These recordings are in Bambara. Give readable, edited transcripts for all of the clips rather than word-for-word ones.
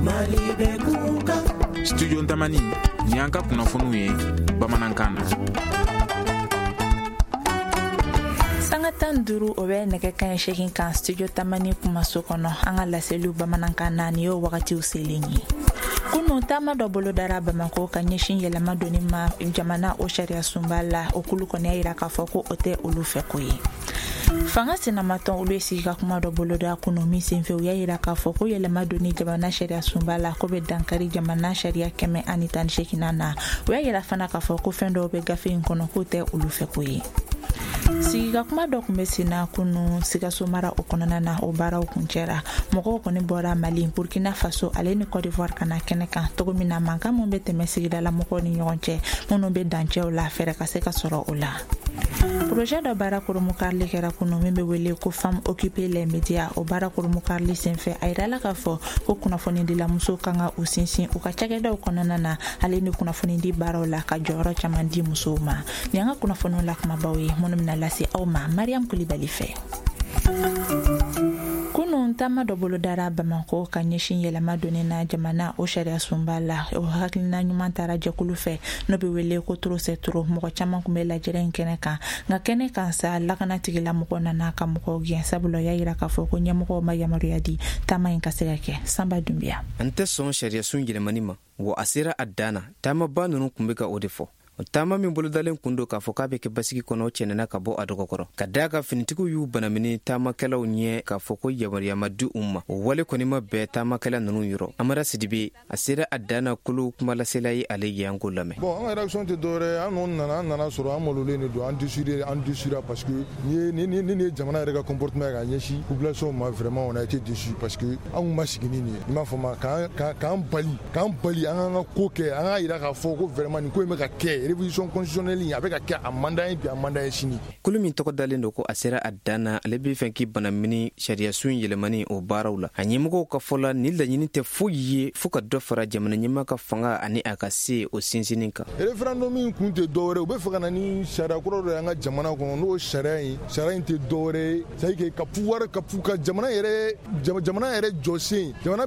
Mali bɛ kunkan. Studio Tamani, nin y'an ka kunnafoniw ye bamanankan na. Sanga 15, o bɛ nɛgɛ kaɲɛ 8 kan Studio Tamani kumaso kɔnɔ. An ka laseliw bamanankan na, nin y'o wagatiw selen ye. Kunu, taama dɔ bolodara Bamako ka ɲɛsin yɛlɛma donni ma jamana o sariya sunba la. O kulu kɔni y'a yira k'a fɔ ko o tɛ olu fɛ ko ye. Fanga sinamatɔn, olu ye sigi ka kuma dɔ boloda kunu, min senfɛ u y'a yira k'a fɔ ko yɛlɛma donni jamana sariya sunba la, ko bɛ dankari jamana sariya 118nan na. U y'a yira fana k'a fɔ ko fɛn dɔw bɛ gafe in kɔnɔ, k'o tɛ olu fɛ ko ye. Sigika kuma dɔ tun bɛ senna kunu Sikaso mara o kɔnɔna na, o baaraw kuncɛra. Mɔgɔw kɔni bɔra Mali, Burkina Faso ale ni Cote d'Ivoire ka na kɛnɛ kan, cogo min na mankan min bɛ tɛmɛ sigidala mɔgɔw ni ɲɔgɔn cɛ minnu bɛ dancɛw la, fɛɛrɛ ka se ka sɔrɔ o la. Projet dɔ baara koromukarili kɛra kunu, min bɛ wele ko Femmes occuper les médias. O baara koromukarili senfɛ, a yirala k'a fɔ ko kunnafonidilamusow kan ka u sinsin u ka cakɛdaw kɔnɔna na ale ni kunnafonidi baaraw la, ka jɔyɔrɔ caman di musow ma. Nin an ka kunnafoniw la kumabaw ye, minnu bɛna lase aw ma Mariam Kulibali fɛ. Kunun, taama dɔ bolodara Bamako ka ɲɛsin yɛlɛma donni na jamana o sariya sunba la. O hakilina ɲuman taara jɛkulu fɛ n'o bɛ wele ko Trop c'est trop. Mɔgɔ caman tun bɛ lajɛrɛ in kɛnɛ kan, nka kɛnɛ kan sa, lakana tigilamɔgɔw nana ka mɔgɔw gɛn, sabula y'a yira k'a fɔ ko ɲɛmɔgɔw ma yamaruya di taama in ka se ka kɛ. Sanba Dunbiya. An tɛ sɔn sariyasun yɛlɛmani ma, wa a sera a dan na. Taamaba ninnu tun bɛ ka o de fɔ. O taama min bolodalen kun don k'a fɔ k'a bɛ kɛ basigi kɔnɔ, cɛnɛna ka bɔ a dɔgɔkɔrɔ, ka daa ka finitigiw y'u banamini taamakɛlaw ɲɛ k'a fɔ ko yamaruya ma di u ma. O wale kɔni ma bɛɛ taamakɛla ninnu yɔrɔ. Amara Sidibe, a sera a dan na kolo kumalasela ye, ale ye ko lamɛn. Bon, an ka réaction tɛ dɔwɛrɛ. An kɔni nana, an nana sɔrɔ an malolen de don, an déçu, an déçura, parce que ni ye jamana yɛrɛ ka comportement ye ka ɲɛsin population ma, vraiment on a été déçu, parce que an kun ma sigi ni nin ye. I m'a fɔ ma, k'an bali an k'an ka ko kɛ, an k'a yira k'a fɔ ko vraiment nin ko in bɛ ka kɛ, révision constitutionnelle a bɛ ka kɛ, a man d'an ye bi, a man d'an ye sini. Kulu min tɔgɔ dalen don ko a sera a dan na, ale bɛ fɛ k'i banamini sariyasun yɛlɛmani o baaraw la. A ɲɛmɔgɔw ka fɔ la, ni laɲini tɛ foyi ye fɔɔ ka dɔ fara jamana ɲɛmaa ka fanga ani a ka se o sinsinni kan. Référendum in kun tɛ dɔwɛrɛ, u bɛ fɛ ka na ni sariya kura dɔ ye an ka jamana kɔnɔ. N'o sariya in, sariya in tɛ dɔwɛrɛ ye, c'est à dire que ka pouvoir ka jamana yɛrɛ jɔsen, jamana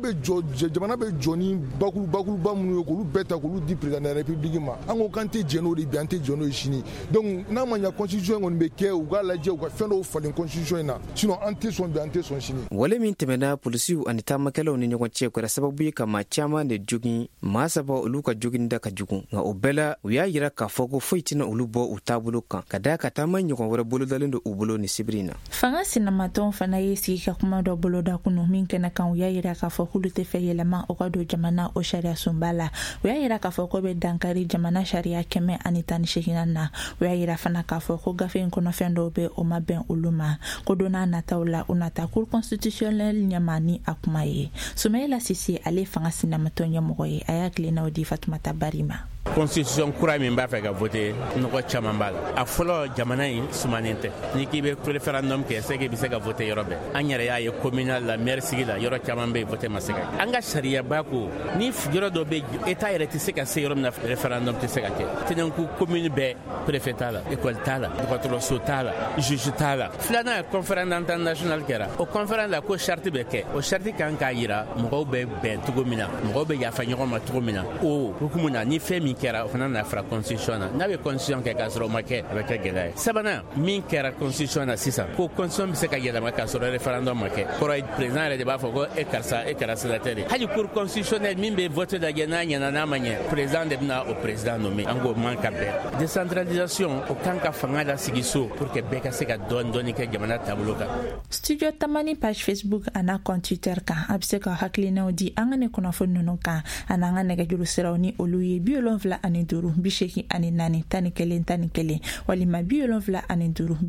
bɛ jɔ ni bakuruba minnu ye, k'olu bɛɛ ta k'olu di président de la République ma. An ko k'an tɛ jɛn n'o de bi, an tɛ jɛn n'o ye sini. Donc n'a ma ɲɛ, constitution kɔni bɛ kɛ, u k'a lajɛ, u ka fɛn dɔw falen constitution in na, sinon an tɛ sɔn bi, an tɛ sɔn sini. Wale min tɛmɛna polisiw ani taamakɛlaw ni ɲɔgɔn cɛ kɛra sababu ye ka maa caaman de jogin. Maa saba, olu ka joginda ka jugu, nka o bɛɛ la, u y'a yira k'a fɔ ko foyi tɛna olu bɔ u taabolo kan, ka daa ka taama ɲɔgɔn wɛrɛ bolodalen don u bolo ni sibiri na. Fanga sinamatɔnw fana ye sigi ka kuma dɔ boloda kunu, min kɛnɛ kan u y'a yira k'a fɔ k'olu tɛ fɛ yɛlɛma o ka don jamana o sariya sunba la. U y'a yira k'a fɔ ko bɛ dankari jamana sariya 118nan na. U y'a yira fana k'a fɔ ko gafe in kɔnɔfɛn dɔw bɛ, o ma bɛn olu ma, ko don n'a nataw la, u nata Cour constitutionnelle ɲɛma ni a kuma ye. Sumayila Sise, ale fanga sinamatɔn ɲɛmɔgɔ ye, a y'a tilennaw di Fatumata Bari ma. Constitution kura min b'a fɛ ka voter, nɔgɔ caman b'a la. A fɔlɔ, jamana in sumanen tɛ. N'i k'i bɛ référendum kɛ, c'est que i bɛ se ka voter yɔrɔ bɛɛ. An yɛrɛ y'a ye communal la, maire sigi la, yɔrɔ caman bɛ yen, voter ma se ka kɛ. An ka sariyaba ko ni yɔrɔ dɔ bɛ, état yɛrɛ tɛ se ka se yɔrɔ min na, référendum tɛ se ka kɛ. Tɛnɛnku commune bɛɛ, préfet t'a la, école t'a la, dɔgɔtɔrɔso t'a la, juge t'a la. Filanan, conférence d'entente nationale kɛra. O conférence la, ko charte bɛ kɛ. O charte kan k'a yira mɔgɔw bɛ bɛn cogo min na, mɔgɔw bɛ yafa ɲɔgɔn ma cogo min na. O hukumu na, ni fɛn min kɛra, o fana na fara constitution na. N'a bɛ constitution kɛ k'a sɔrɔ o ma kɛ, a bɛ kɛ gɛlɛya ye. Sabanan, min kɛra constitution na sisan, ko constitution bɛ se ka yɛlɛma k'a sɔrɔ référendum ma kɛ, kɔrɔ ye président yɛrɛ de b'a fɔ ko e karisa, e kɛra sénateur ye. Hali Cour constitutionnelle min bɛ vote lajɛ, n'a ɲɛna, n'a ma ɲɛ, président de bɛna o président nommé. An k'o man ka bɛn. Décentralisation, o kan ka fanga lasigi so pour que bɛɛ ka se ka dɔɔni dɔɔni kɛ jamana taabolo kan. Studio Tamani page Facebook a n'a compte Twitter kan, a bɛ se ka hakilinaw di an ka ne kunnafoni ninnu kan a n'an ka nɛgɛjuru siraw, ni olu ye 75 84 11 11 walima 75 84 12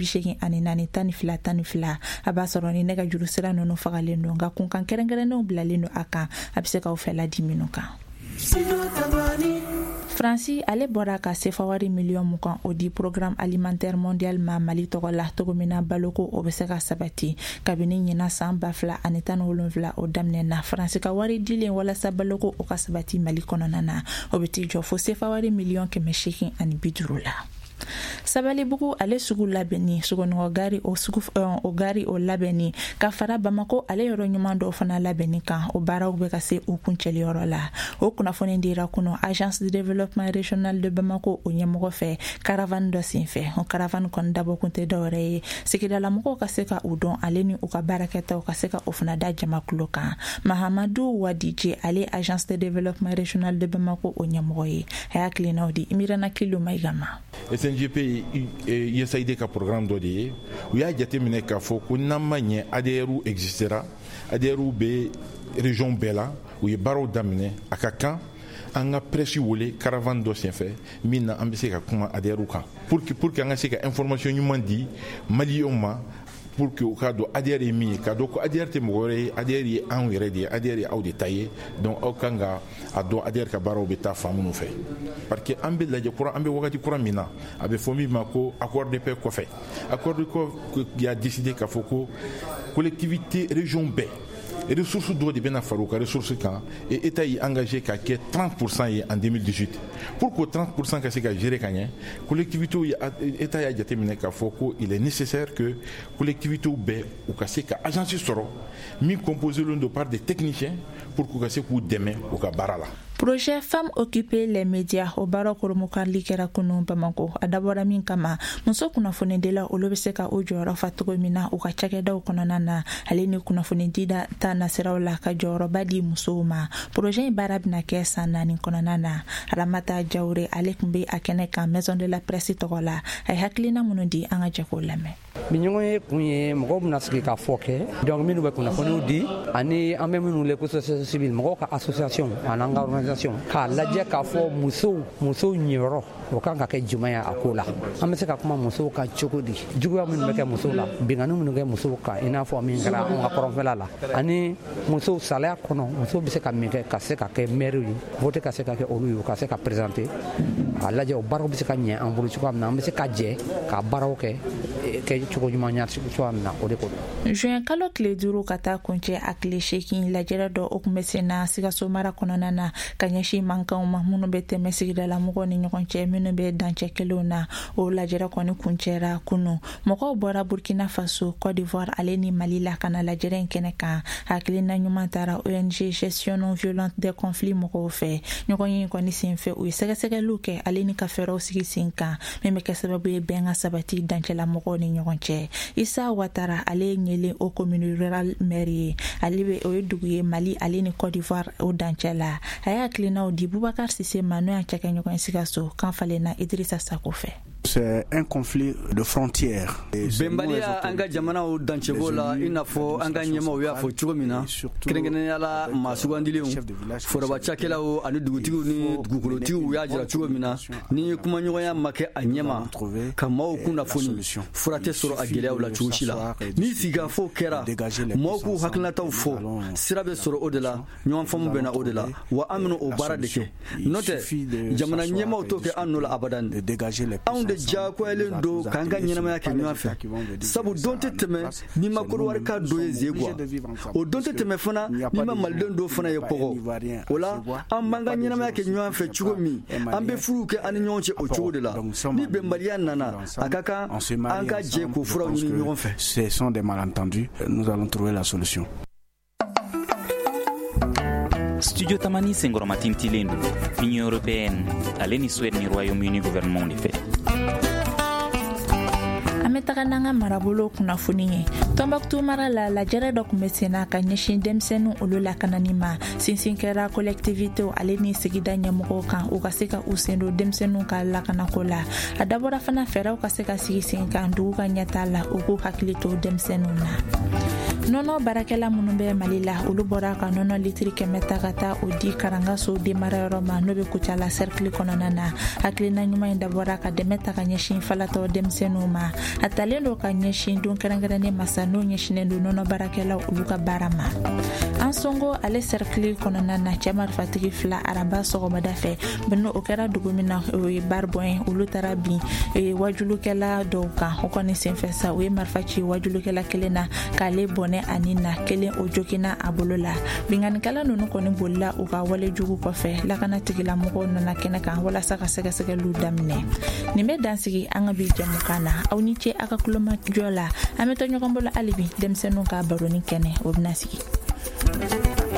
12. A b'a sɔrɔ ni nɛgɛjuru sira ninnu fagalen don, nka kunkan kɛrɛnkɛrɛnnenw bilalen don a kan, a bɛ se k'aw fɛla di minnu kan. Faransi, ale bɔra ka sefa wari miliyɔn 20 o di Programme alimentaire mondial ma Mali tɔgɔ la, cogo min na baloko o bɛ se ka sabati. Kabini ɲinan san 2017 o daminɛ na, Faransi ka wari dilen walasa baloko o ka sabati Mali kɔnɔna na, o bɛ t'i jɔ fo sefa wari miliyɔn 850 la. Sabalibugu ale sugu labɛnni, Sogonikɔ gari o sugu o gari o labɛnni, ka fara Bamako ale yɔrɔ ɲuman dɔw fana labɛnni kan, o baaraw bɛ ka se u kuncɛliyɔrɔ la. O kunnafoni dira kunu Agence de développement régional de Bamako o ɲɛmɔgɔ fɛ caravane dɔ senfɛ. O caravane kɔni dabɔkun tɛ dɔwɛrɛ ye, sigidalamɔgɔw ka se ka u dɔn ale ni u ka baarakɛtaw ka se ka o fana da jamakulu kan. Mahamadu Wadije, ale Agence de développement régional de Bamako o ɲɛmɔgɔ ye, a y'a tilennaw di Imirana Kilo Mayiga ma. SNGP ye USAID ka programme dɔ de ye. U y'a jateminɛ k'a fɔ ko n'an ma ɲɛ, ADR existera, ADR bɛ région bɛɛ la, u ye baaraw daminɛ. A ka kan an ka presse wele caravane dɔ senfɛ min na an bɛ se ka kuma ADR kan pour que an ka se ka information ɲuman di Maliyɛnw ma, pour que u k'a dɔn ADR ye min ye, k'a dɔn ko ADR tɛ mɔgɔ wɛrɛ ye, ADR ye anw yɛrɛ de ye, ADR ye aw de ta ye. Donc aw kan ka a dɔn ADR ka baaraw bɛ taa fan minnu fɛ, parce que an bɛ lajɛ kura, an bɛ wagati kura min na, a bɛ fɔ min ma ko accord de paix kɔfɛ. Accord de paix y'a décidé k'a fɔ ko collectivité région bɛɛ ressources dɔw de bɛna fara u ka ressources kan, et État y'i engagé ka kɛ 30% ye en 2018. Pour que 30% ka se ka gérer ka ɲɛ, collectivités ye, État y'a jateminɛ k'a fɔ ko il est nécessaire que collectivités bɛɛ u ka se ka agence sɔrɔ min composé don par des techniciens pour k'u ka se k'u dɛmɛ u ka baara la. Projet Femmes occuper les médias, o baara koromokarili kɛra kunu Bamako. A dabɔra min kama, muso kunnafonidila olu bɛ se ka u jɔyɔrɔ fa cogo min na u ka cakɛdaw kɔnɔna na, ale ni kunnafonidi ta nasiraw la, ka jɔyɔrɔba di musow ma. Projet in baara bɛna kɛ san 4 kɔnɔna na. Ramata Jawure, ale tun bɛ a kɛnɛ kan Maison de la Presse tɔgɔ la, a ye hakilina minnu di, an ka jɛ k'o lamɛn. Bi ɲɔgɔn ye kun ye, mɔgɔw bɛna sigi ka fɔ kɛ. Donc minnu bɛ kunnafoniw di ani an bɛ minnu wele ko société civile, mɔgɔw ka association ani an ka organisation, k'a lajɛ k'a fɔ musow ɲiyɔrɔ o kan ka kɛ jumɛn ye a ko la, an bɛ se ka kuma musow kan cogo di, juguya minnu bɛ kɛ musow la, binkanni minnu kɛ musow kan, i n'a fɔ min kɛra anw ka kɔrɔnfɛla la, ani musow salaya kɔnɔ, musow bɛ se ka min kɛ ka se ka kɛ maire ye, vote ka se ka kɛ olu ye, u ka se ka présenter, a lajɛ o baaraw bɛ se ka ɲɛ an bolo cogoya min na, an bɛ se ka jɛ ka baaraw kɛ kɛ cogo ɲuman ɲa cogoya min na, o de ko don. Juin kalo tile 5 ka taa kuncɛ a tile 8, lajɛrɛ dɔ o kun bɛ sen na Sikaso mara kɔnɔna na ka ɲɛsin mankanw ma minnu bɛ tɛmɛ sigidala mɔgɔw ni ɲɔgɔn cɛ minnu bɛ dancɛ kelenw na. O lajɛrɛ kɔni kuncɛra kunu. Mɔgɔw bɔra Burkina Faso, Côte d'Ivoire ale ni Mali la ka na lajɛrɛ in kɛnɛ kan. Hakilina ɲuman taara ONG Gestion non violente des conflits mɔgɔw fɛ. Ɲɔgɔn ye kɔni senfɛ, u ye sɛgɛsɛgɛliw kɛ ale ni ka fɛɛrɛw sigi sen kan min bɛ kɛ sababu ye bɛn ka sabati dancɛla mɔgɔw ni ɲɔgɔn cɛ. Isa Watara, ale ye Ɲele o commune rurale maire ye, ale bɛ o ye dugu ye Mali ale ni Côte d'Ivoire o dancɛ la. A y'a hakilinaw di Bubakar Sise ma, n'o y'a cakɛɲɔgɔn ye Sikaso kan falenna Idrissa Sako fɛ. C'est un conflit de frontières. Bɛnbaliya an ka jamanaw dancɛko la, i n'a fɔ an ka ɲɛmaw y'a fɔ cogo min na, kɛrɛnkɛrɛnnenya la maa sugandilenw, foroba cakɛlaw ani dugutigiw ni dugukolotigiw y'a jira cogo min na, ni kumaɲɔgɔnya ma kɛ a ɲɛma ka maaw kunnafoni, fura tɛ sɔrɔ a gɛlɛyaw la cogo si la. Ni sigikafɔ kɛra, maaw k'u hakilinataw fɔ, sira bɛ sɔrɔ o de la, ɲɔgɔn faamu bɛ na o de la. Wa an bɛna o baara de kɛ, n'o tɛ jamana ɲɛmaw t'o kɛ an nɔ la abadan. Anw de diyagoyalen don k'an ka ɲɛnamaya kɛ ɲɔgɔn fɛ, sabu don tɛ tɛmɛ n'i ma Kɔdiwari ka dɔ ye Zegwa, o don tɛ tɛmɛ fana n'i ma Maliden dɔ fana ye Pɔgɔ. O la an b'an ka ɲɛnamaya kɛ ɲɔgɔn fɛ cogo min, an bɛ furuw kɛ an ni ɲɔgɔn cɛ o cogo de la. Ni bɛnbaliya nana, a ka kan an ka jɛ k'o furaw ɲini ɲɔgɔn fɛ. Ce sont des malentendus, nous allons trouver la solution. Studio Tamani senkɔrɔmatintilen don Union européenne ale ni Suède ni Royaume-Uni gouvernement de fɛ. An bɛ taga n'an ka marabolo kunnafoni ye. Tɔnbɔkutu mara la, lajɛrɛ dɔ tun bɛ sen na ka ɲɛsin denmisɛnninw olu lakanani ma. Sinsin kɛra collectivitéw ale ni sigida ɲɛmɔgɔw kan, u ka se ka u sen don denmisɛnninw ka lakanako la. A dabɔra fana fɛɛrɛw ka se ka sigi sen kan dugu ka ɲɛta la, u k'u hakili to denmisɛnninw na. Nɔnɔ baarakɛla minnu bɛ Mali la, olu bɔra ka nɔnɔ litiri 100 ta ka taa o di Karangaso denmarayɔrɔ ma, n'o bɛ Kucala cercle kɔnɔna na. Hakilina ɲuman in dabɔra ka dɛmɛ ta ka ɲɛsin falatɔ denmisɛnninw ma. A talen don ka ɲɛsin don kɛrɛnkɛrɛnnen masa n'o ɲɛsinnen don nɔnɔ baarakɛlaw olu ka baara ma. An Songo ale cercle kɔnɔna na, cɛ marifatigi fila, araba sɔgɔmada fɛ, n'o o kɛra dugu min na, o ye Baribɔn ye, olu taara bin wajulukɛla dɔw kan. O kɔni senfɛ sa, u ye marifa ci wajulukɛla kelen na k'ale bɔnɛ. bɔnɛ a ni na, kelen o joginna a bolo la. Binkannikɛla ninnu kɔni bolila u ka wale jugu kɔfɛ. Lakana tigilamɔgɔw nana kɛnɛ kan walasa ka sɛgɛsɛgɛliw daminɛ. Nin bɛ dansigi an ka bi jɛmukan na. Aw ni ce a ka kulomajɔ la. An bɛ to ɲɔgɔn bolo hali bi, denmisɛnninw ka baroni kɛnɛ o bɛna sigi.